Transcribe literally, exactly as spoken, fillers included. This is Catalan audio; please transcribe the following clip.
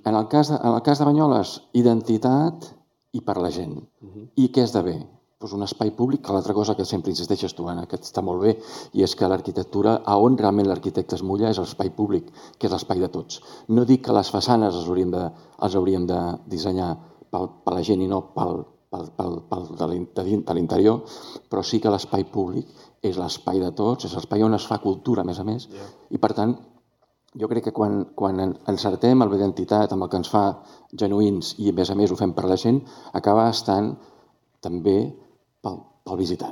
en el cas de, en el cas de Banyoles, identitat i per la gent. I què esdevé? Doncs un espai públic, que l'altra cosa que sempre insisteixes tu, Anna, que està molt bé, i és que l'arquitectura, a on realment l'arquitecte es mulla és l'espai públic, que és l'espai de tots. No dic que les façanes els hauríem de, els hauríem de dissenyar per la gent i no pel, pel, pel, pel de l'interior, però sí que l'espai públic és l'espai de tots, és l'espai on es fa cultura, a més a més, i per tant, jo crec que quan, quan encertem amb l'identitat, amb el que ens fa genuïns i a més a més ho fem per la gent, acaba estant també pel, pel visitant.